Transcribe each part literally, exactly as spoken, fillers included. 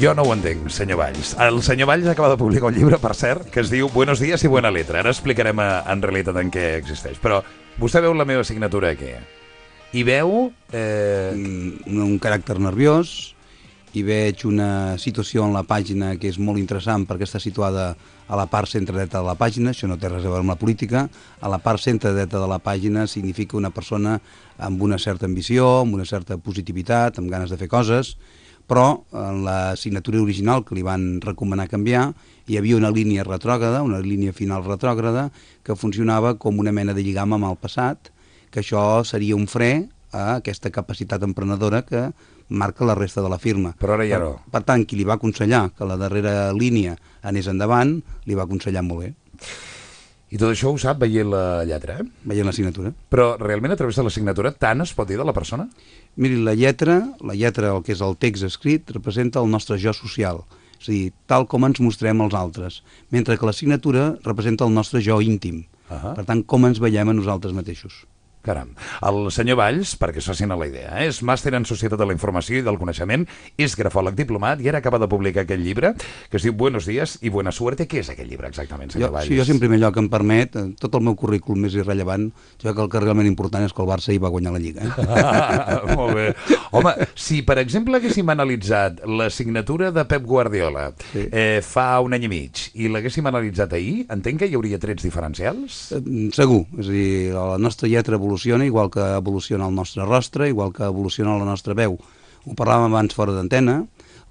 Jo no ho entenc, senyor Valls. El senyor Valls acaba de publicar un llibre, per cert, que es diu Buenos días y buena letra. Ara explicarem en realitat en què existeix. Però vostè veu la meva signatura aquí. I veu... Eh... Un, un caràcter nerviós, i veig una situació en la pàgina que és molt interessant perquè està situada a la part centre-dreta de la pàgina, això no té res a veure amb la política. A la part centre-dreta de la pàgina significa una persona amb una certa ambició, amb una certa positivitat, amb ganes de fer coses, però en la signatura original que li van recomanar canviar hi havia una línia retrògrada, una línia final retrògrada, que funcionava com una mena de lligam amb el passat, que això seria un fre a aquesta capacitat emprenedora que marca la resta de la firma. Però ara ja no. Per, per tant, qui li va aconsellar que la darrera línia anés endavant, li va aconsellar molt bé. I tot això ho sap veient la lletra, eh? Veient la signatura. Però realment a través de la signatura tant es pot dir de la persona? Miri, la lletra, la lletra, el que és el text escrit, representa el nostre jo social, és a dir, tal com ens mostrem als altres, mentre que la signatura representa el nostre jo íntim, uh-huh. Per tant, com ens veiem a nosaltres mateixos. Caram. El senyor Valls, perquè es facin a la idea, eh? És màster en Societat de la Informació i del Coneixement, és grafòleg diplomat i ara acaba de publicar aquest llibre que es diu Buenos días y buena suerte. Què és aquest llibre exactament, senyor jo, Valls? Sí, jo, en primer lloc, em permet, tot el meu currículum més irrellevant, jo crec que el que realment important és que el Barça hi va guanyar la Lliga. Eh? Ah, molt bé. Home, si per exemple haguéssim analitzat la signatura de Pep Guardiola sí. eh, fa un any i mig i l'haguéssim analitzat ahir, entenc que hi hauria trets diferencials? Eh, segur, és a dir, la nostra lletra evoluciona igual que evoluciona el nostre rostre, igual que evoluciona la nostra veu. Ho parlàvem abans fora d'antena,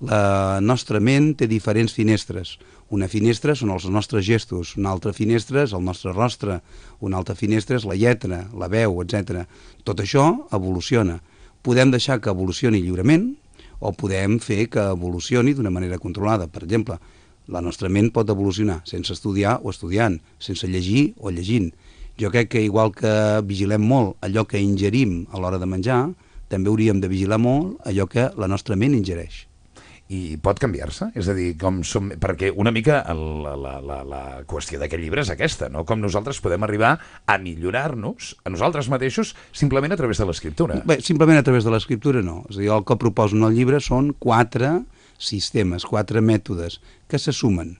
la nostra ment té diferents finestres. Una finestra són els nostres gestos, una altra finestra és el nostre rostre, una altra finestra és la lletra, la veu, etcètera. Tot això evoluciona. Podem deixar que evolucioni lliurement o podem fer que evolucioni d'una manera controlada. Per exemple, la nostra ment pot evolucionar sense estudiar o estudiant, sense llegir o llegint. Jo crec que igual que vigilem molt allò que ingerim a l'hora de menjar, també hauríem de vigilar molt allò que la nostra ment ingereix. I pot canviar-se? És a dir, com som... perquè una mica la, la, la, la qüestió d'aquest llibre és aquesta, no? Com nosaltres podem arribar a millorar-nos a nosaltres mateixos simplement a través de l'escriptura. Bé, simplement a través de l'escriptura no. És a dir, el que proposo en el llibre són quatre sistemes, quatre mètodes que se sumen.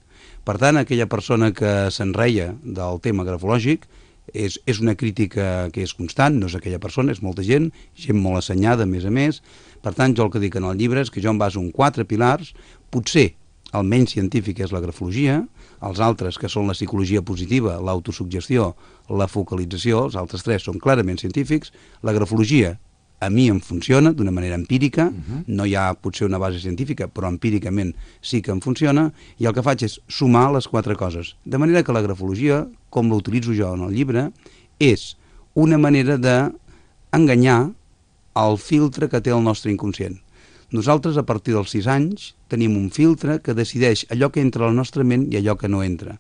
Per tant, aquella persona que s'enreia del tema grafològic És, és una crítica que és constant, no és aquella persona, és molta gent, gent molt assenyada, a més a més. Per tant, jo el que dic en el llibre és que jo em baso en quatre pilars, potser el menys científic és la grafologia, els altres, que són la psicologia positiva, l'autosugestió, la focalització, els altres tres són clarament científics. La grafologia a mi em funciona d'una manera empírica, uh-huh. No hi ha potser una base científica, però empíricament sí que em funciona, i el que faig és sumar les quatre coses. De manera que la grafologia, com l'utilitzo jo en el llibre, és una manera d'enganyar el filtre que té el nostre inconscient. Nosaltres, a partir dels sis anys, tenim un filtre que decideix allò que entra a la nostra ment i allò que no entra.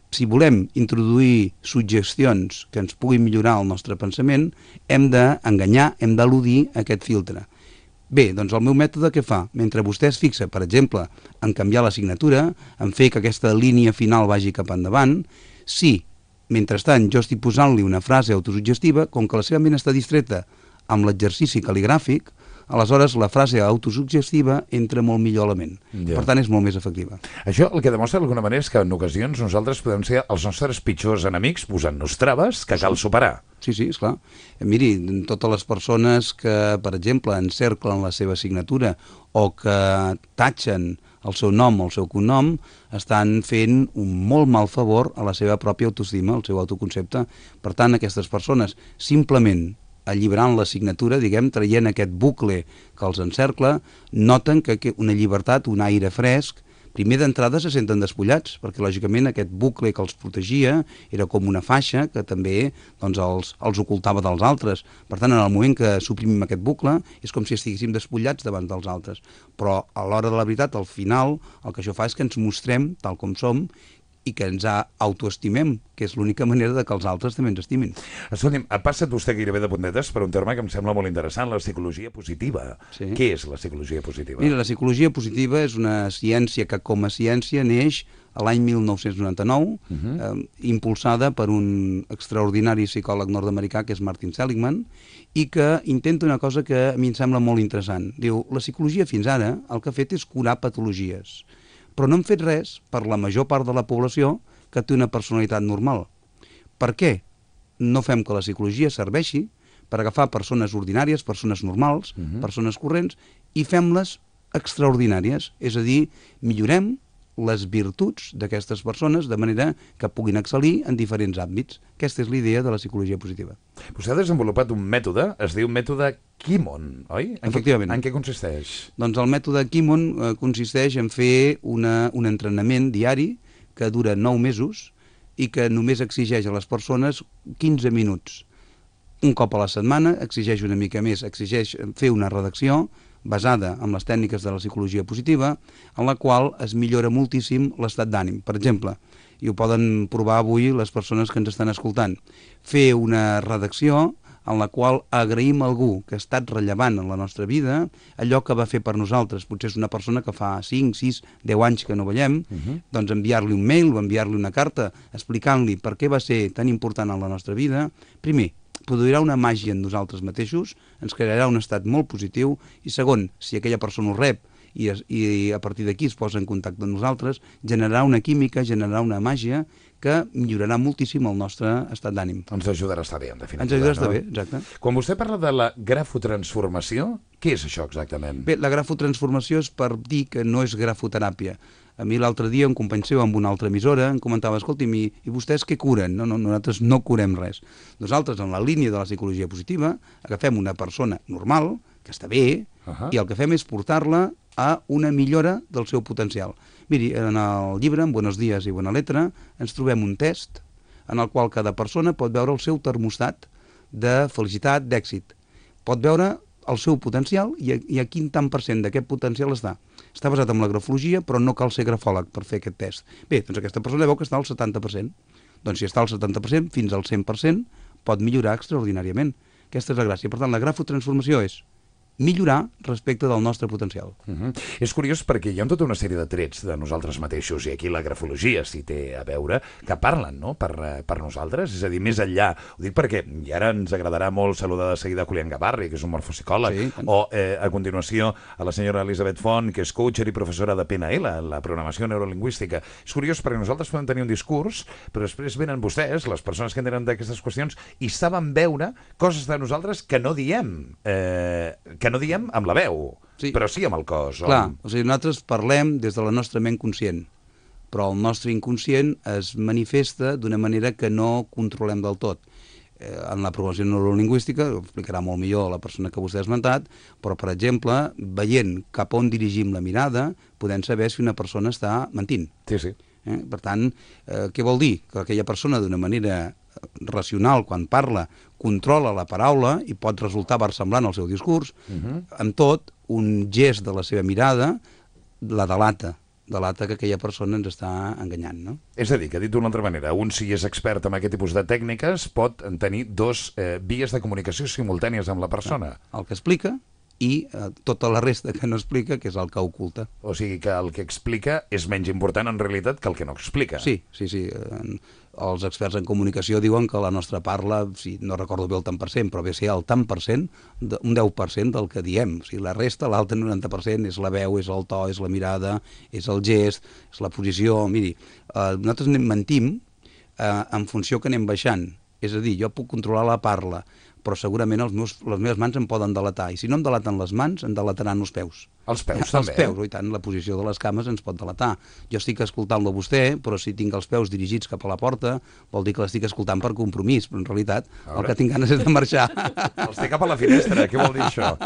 Si volem introduir suggestions que ens puguin millorar el nostre pensament, hem d'enganyar, hem d'eludir aquest filtre. Bé, doncs el meu mètode què fa? Mentre vostè es fixa, per exemple, en canviar la signatura, en fer que aquesta línia final vagi cap endavant, si, mentrestant, jo estic posant-li una frase autosuggestiva, com que la seva ment està distreta amb l'exercici cal·ligràfic, aleshores la frase autosuggestiva entra molt millor a la ment. Ja. Per tant, és molt més efectiva. Això el que demostra d'alguna manera és que en ocasions nosaltres podem ser els nostres pitjors enemics posant-nos traves que cal superar. Sí, sí, esclar. Miri, totes les persones que, per exemple, encerclen la seva signatura o que tatxen el seu nom o el seu cognom, estan fent un molt mal favor a la seva pròpia autoestima, al seu autoconcepte. Per tant, aquestes persones simplement alliberant la signatura, diguem, traient aquest bucle que els encercla, noten que una llibertat, un aire fresc, primer d'entrada se senten despullats, perquè lògicament aquest bucle que els protegia era com una faixa que també doncs, els, els ocultava dels altres. Per tant, en el moment que suprimim aquest bucle, és com si estiguéssim despullats davant dels altres. Però a l'hora de la veritat, al final, el que això fa és que ens mostrem tal com som i que ens autoestimem, que és l'única manera de que els altres també ens estimin. Escolti'm, ha passat vostè gairebé de puntetes per un terme que em sembla molt interessant, la psicologia positiva. Sí. Què és la psicologia positiva? Mira, la psicologia positiva és una ciència que com a ciència neix a l'any mil nou-cents noranta-nou, uh -huh. eh, impulsada per un extraordinari psicòleg nord-americà que és Martin Seligman, i que intenta una cosa que a mi em sembla molt interessant. Diu, la psicologia fins ara el que ha fet és curar patologies, però no hem fet res per la major part de la població que té una personalitat normal. Per què no fem que la psicologia serveixi per agafar persones ordinàries, persones normals, uh -huh. persones corrents, i fem-les extraordinàries? És a dir, millorem les virtuts d'aquestes persones de manera que puguin excel·lir en diferents àmbits. Aquesta és l'idea de la psicologia positiva. Vostè ha desenvolupat un mètode, es diu mètode Kimon, oi? En Efectivament. Què, en què consisteix? Doncs el mètode Kimon eh, consisteix en fer una, un entrenament diari que dura nou mesos i que només exigeix a les persones quinze minuts. Un cop a la setmana, exigeix una mica més, exigeix fer una redacció basada en les tècniques de la psicologia positiva, en la qual es millora moltíssim l'estat d'ànim. Per exemple, i ho poden provar avui les persones que ens estan escoltant, fer una redacció en la qual agraïm a algú que ha estat rellevant en la nostra vida, allò que va fer per nosaltres. Potser és una persona que fa cinc, sis, deu anys que no veiem, uh -huh. doncs enviar-li un mail o enviar-li una carta explicant-li per què va ser tan important en la nostra vida. Primer, produirà una màgia en nosaltres mateixos, ens crearà un estat molt positiu, i segon, si aquella persona ho rep i, es, i a partir d'aquí es posa en contacte amb nosaltres, generarà una química, generarà una màgia que millorarà moltíssim el nostre estat d'ànim. Ens ajudarà a estar bé, en definitiva. Ens ajudarà a estar no? bé, exacte. Quan vostè parla de la grafotransformació, què és això exactament? Bé, la grafotransformació és per dir que no és grafoteràpia. A mi l'altre dia un company seu amb una altra emissora em comentava, escolti'm, i, i vostès què curen? No, no, nosaltres no curem res. Nosaltres, en la línia de la psicologia positiva, agafem una persona normal, que està bé, uh -huh. i el que fem és portar-la a una millora del seu potencial. Miri, en el llibre, en Buenos Días i Buena Letra, ens trobem un test en el qual cada persona pot veure el seu termostat de felicitat, d'èxit. Pot veure el seu potencial i a, i a quin tant per cent d'aquest potencial està. Està basat en la grafologia, però no cal ser grafòleg per fer aquest test. Bé, doncs aquesta persona veu que està al setanta per cent. Doncs si està al setanta per cent, fins al cent per cent, pot millorar extraordinàriament. Aquesta és la gràcia. Per tant, la grafotransformació és millorar respecte del nostre potencial. Uh -huh. És curiós perquè hi ha tota una sèrie de trets de nosaltres mateixos, i aquí la grafologia s'hi té a veure, que parlen, no?, per, per nosaltres, és a dir, més enllà. Ho dic perquè, i ara ens agradarà molt saludar de seguida a Julián Gabarri, que és un morfopsicòleg, sí, o eh, a continuació a la senyora Elisabet Font, que és coacher i professora de P N L, la programació neurolingüística. És curiós perquè nosaltres podem tenir un discurs, però després venen vostès, les persones que entenen d'aquestes qüestions, i saben veure coses de nosaltres que no diem, eh, que que no diem amb la veu, sí, però sí amb el cos. Clar, o sigui, nosaltres parlem des de la nostra ment conscient, però el nostre inconscient es manifesta d'una manera que no controlem del tot. Eh, en la programació neurolingüística, ho explicarà molt millor la persona que vostè ha esmentat, però, per exemple, veient cap on dirigim la mirada, podem saber si una persona està mentint. Sí, sí. Eh? Per tant, eh, què vol dir? Que aquella persona, d'una manera racional, quan parla, controla la paraula i pot resultar versemblant al seu discurs. Uh -huh. Amb tot, un gest de la seva mirada la delata, delata que aquella persona ens està enganyant, no? És a dir, que dit d'una altra manera, un si és expert en aquest tipus de tècniques pot tenir dos eh, vies de comunicació simultànies amb la persona. El que explica i eh, tota la resta que no explica, que és el que oculta. O sigui que el que explica és menys important en realitat que el que no explica. Sí, sí, sí. Eh, els experts en comunicació diuen que la nostra parla, si no recordo bé el tant per cent, però ve a ser el tant per cent, un deu per cent del que diem. O sigui, la resta, l'altre noranta per cent, és la veu, és el to, és la mirada, és el gest, és la posició. Miri, eh, nosaltres mentim eh, en funció que anem baixant. És a dir, jo puc controlar la parla, però segurament els meus, les meves mans em poden delatar. I si no em delaten les mans, em delataran els peus. Els peus, els també? Els peus, i tant, la posició de les cames ens pot delatar. Jo estic escoltant-lo a vostè, però si tinc els peus dirigits cap a la porta, vol dir que l'estic escoltant per compromís, però en realitat el que tinc ganes és de marxar. Els té cap a la finestra, què vol dir això?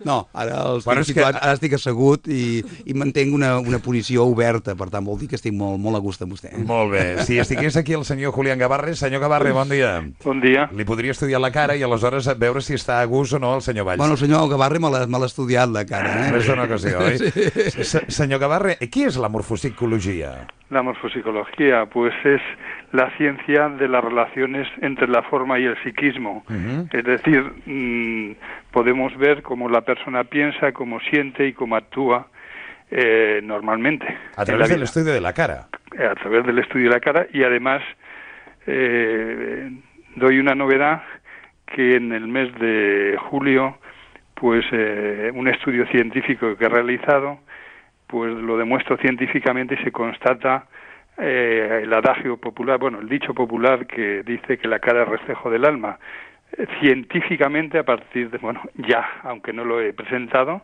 No, ara, els bueno, estic situat, que... ara estic assegut i, i mantenc una, una posició oberta, per tant vol dir que estic molt, molt a gust amb vostè. Molt bé. Si estigués aquí el senyor Julián Gabarri, senyor Gabarri, bon dia. Bon dia. Li podria estudiar la cara i aleshores veure si està a gust o no el senyor Valls. Bueno, el senyor Gavarri me l'ha estudiat, la cara. Eh? És una ocasió, oi? Sí. Senyor Gavarri, què és la morfopsicologia? La morfopsicología, pues es la ciencia de las relaciones entre la forma y el psiquismo. Uh-huh. Es decir, mmm, podemos ver cómo la persona piensa, cómo siente y cómo actúa eh, normalmente. A través del estudio de la cara. A través del estudio de la cara, y además eh, doy una novedad, que en el mes de julio, pues eh, un estudio científico que he realizado, pues lo demuestro científicamente y se constata eh, el adagio popular, bueno, el dicho popular que dice que la cara es reflejo del alma. Eh, científicamente, a partir de, bueno, ya, aunque no lo he presentado,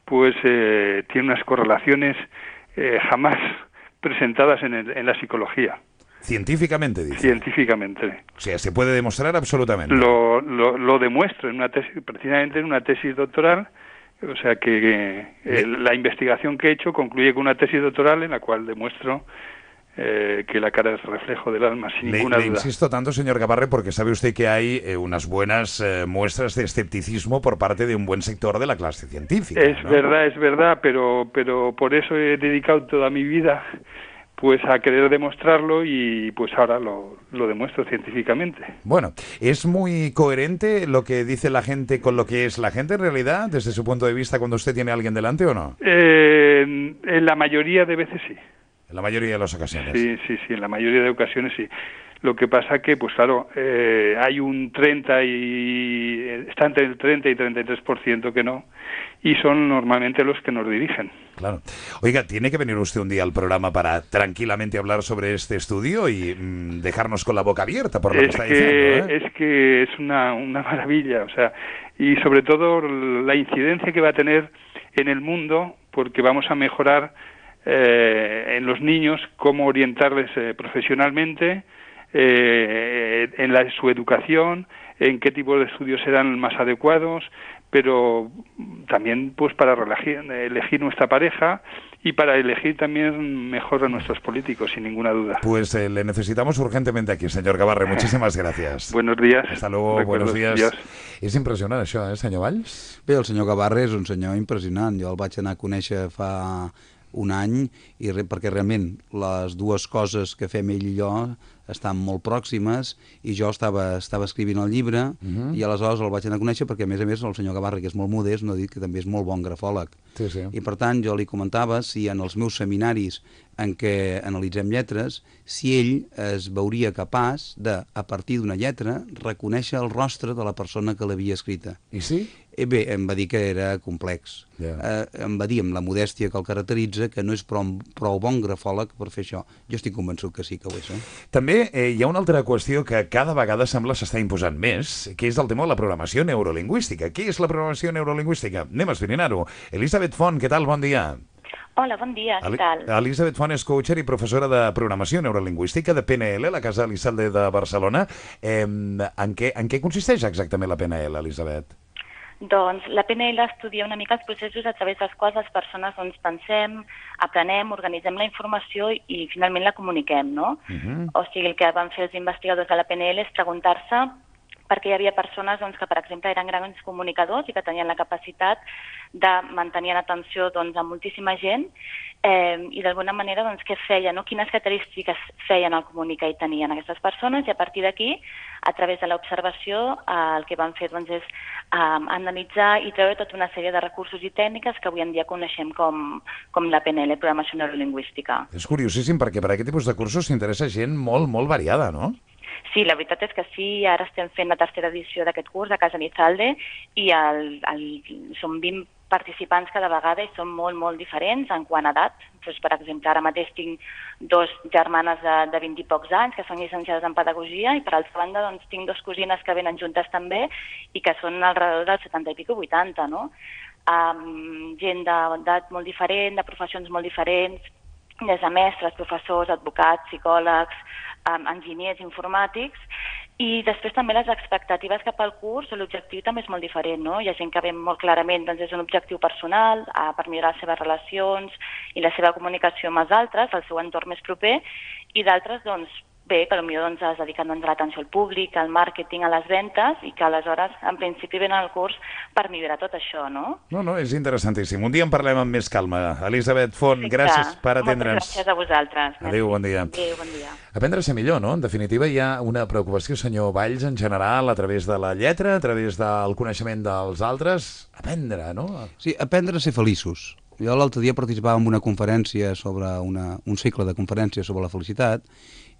pues eh, tiene unas correlaciones eh, jamás presentadas en, el, en la psicología. Científicamente, dice. Científicamente. O sea, se puede demostrar absolutamente. Lo, lo, lo demuestro en una tesis, precisamente en una tesis doctoral. O sea que eh, la investigación que he hecho concluye con una tesis doctoral en la cual demuestro eh, que la cara es reflejo del alma, sin le, ninguna le duda. Insisto tanto, señor Gabarre, porque sabe usted que hay eh, unas buenas eh, muestras de escepticismo por parte de un buen sector de la clase científica. Es ¿no? verdad, es verdad, pero, pero por eso he dedicado toda mi vida pues a querer demostrarlo y pues ahora lo, lo demuestro científicamente. Bueno, ¿es muy coherente lo que dice la gente con lo que es la gente en realidad, desde su punto de vista, cuando usted tiene a alguien delante o no? Eh, en la mayoría de veces sí. En la mayoría de las ocasiones. Sí, sí, sí, en la mayoría de ocasiones sí. Lo que pasa que, pues claro, eh, hay un treinta y... está entre el treinta y treinta y tres por ciento que no, y son normalmente los que nos dirigen. Claro. Oiga, tiene que venir usted un día al programa para tranquilamente hablar sobre este estudio y mmm, dejarnos con la boca abierta por lo es que está que, diciendo, ¿eh? Es que es una, una maravilla, o sea, y sobre todo la incidencia que va a tener en el mundo, porque vamos a mejorar eh, en los niños cómo orientarles eh, profesionalmente, eh, en la, su educación, en qué tipo de estudios serán más adecuados, pero también pues para elegir, elegir nuestra pareja y para elegir también mejor a nuestros políticos, sin ninguna duda. Pues eh, le necesitamos urgentemente aquí, señor Gabarre. Muchísimas gracias. Buenos días. Hasta luego, Recuerdos, buenos días. Dios. És impressionant això, eh, senyor Valls? Bé, el senyor Gabarre és un senyor impressionant. Jo el vaig anar a conèixer fa un any i re, perquè realment les dues coses que fem ell i jo estan molt pròximes i jo estava, estava escrivint el llibre uh-huh. i aleshores el vaig anar a conèixer perquè a més a més el senyor Gabarre, que és molt modest, no ha dit que també és molt bon grafòleg. Sí, sí. I per tant jo li comentava si en els meus seminaris en què analitzem lletres, si ell es veuria capaç de, a partir d'una lletra, reconèixer el rostre de la persona que l'havia escrita. I sí? Eh, bé, em va dir que era complex. Yeah. Eh, em va dir, amb la modèstia que el caracteritza, que no és prou, prou bon grafòleg per fer això. Jo estic convençut que sí que ho és. Eh? També eh, hi ha una altra qüestió que cada vegada sembla s'està imposant més, que és el tema de la programació neurolingüística. Què és la programació neurolingüística? Anem a esbrinar-ho. Elisabet Font, què tal? Bon dia. Hola, bon dia, què tal? Elisabet Font és coacher i professora de programació neurolingüística de P N L, la Casa Elizalde de Barcelona. Eh, en, què, en què consisteix exactament la P N L, Elisabet? Doncs la P N L estudia una mica els processos a través dels quals les persones doncs, pensem, aprenem, organitzem la informació i finalment la comuniquem, no? Uh-huh. O sigui, el que van fer els investigadors de la P N L és preguntar-se perquè hi havia persones doncs, que, per exemple, eren grans comunicadors i que tenien la capacitat de mantenir l'atenció doncs, a moltíssima gent eh, i d'alguna manera doncs, què feien, no? Quines característiques feien al comunicar i tenien aquestes persones, i a partir d'aquí, a través de l'observació, eh, el que van fer doncs, és eh, analitzar i treure tota una sèrie de recursos i tècniques que avui en dia coneixem com, com la P N L, Programació Neurolingüística. És curiosíssim perquè per aquest tipus de cursos s'interessa gent molt, molt variada, no? Sí, la veritat és que sí, ara estem fent la tercera edició d'aquest curs a Casa Elizalde i el, el, som vint participants cada vegada i són molt, molt diferents en quant a edat. Doncs, per exemple, ara mateix tinc dos germanes de, de vint i pocs anys que són llicenciades en pedagogia i per altra banda doncs, tinc dos cosines que venen juntes també i que són alrededor dels setanta i pico vuitanta, no? Um, gent d'edat molt diferent, de professions molt diferents, des de mestres, professors, advocats, psicòlegs, um, enginyers informàtics, i després també les expectatives cap al curs, l'objectiu també és molt diferent, no? Hi ha gent que ve molt clarament, doncs és un objectiu personal, uh, per millorar les seves relacions i la seva comunicació amb els altres, el seu entorn més proper, i d'altres, doncs, bé, que potser doncs, es dediquen doncs, a l'atenció al públic, al màrqueting, a les ventes, i que aleshores, en principi, venen al curs per millorar tot això, no? No, no, és interessantíssim. Un dia en parlem amb més calma. Elisabet Font, Perfecte. gràcies per atendre'ns. Moltes gràcies a vosaltres. Adéu, bon dia. Adéu, bon dia. Aprendre a ser millor, no? En definitiva, hi ha una preocupació, senyor Valls, en general, a través de la lletra, a través del coneixement dels altres. Aprendre, no? Sí, aprendre a ser feliços. Jo l'altre dia participava en una conferència sobre una, un cicle de conferències sobre la felicitat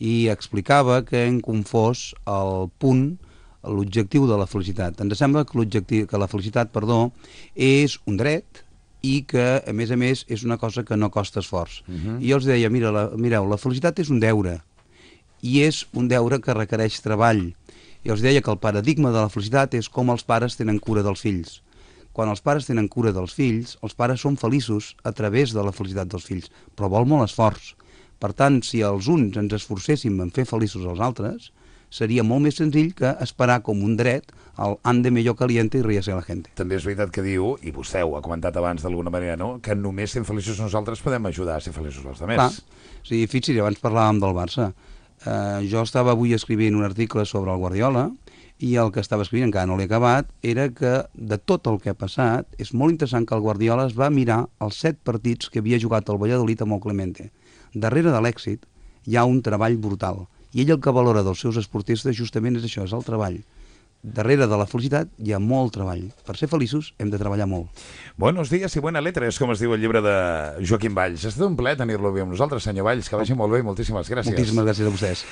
i explicava que hem confós el punt, l'objectiu de la felicitat. Ens sembla que l'objectiu, que la felicitat, perdó, és un dret i que, a més a més, és una cosa que no costa esforç. Uh-huh. I jo els deia, mira, la, mireu, la felicitat és un deure, i és un deure que requereix treball. I els deia que el paradigma de la felicitat és com els pares tenen cura dels fills. Quan els pares tenen cura dels fills, els pares són feliços a través de la felicitat dels fills, però vol molt esforç. Per tant, si els uns ens esforcéssim en fer feliços els altres, seria molt més senzill que esperar com un dret el ande mellor caliente i ríase la gent. També és veritat que diu, i vostè ho ha comentat abans d'alguna manera, no?, que només sent feliços nosaltres podem ajudar a ser feliços els altres. Clar, sí, fixi's, abans parlàvem del Barça. Uh, jo estava avui escrivint un article sobre el Guardiola i el que estava escrivint, encara no l'he acabat, era que de tot el que ha passat, és molt interessant que el Guardiola es va mirar els set partits que havia jugat el Valladolid amb el Clemente. Darrere de l'èxit hi ha un treball brutal. I ell el que valora dels seus esportistes justament és això, és el treball. Darrere de la felicitat hi ha molt treball. Per ser feliços hem de treballar molt. Buenos días i buena letra, és com es diu el llibre de Joaquim Valls. Ha estat un plaer tenir-lo avui amb nosaltres, senyor Valls, que vagi molt bé i moltíssimes gràcies. Moltíssimes gràcies a vostès.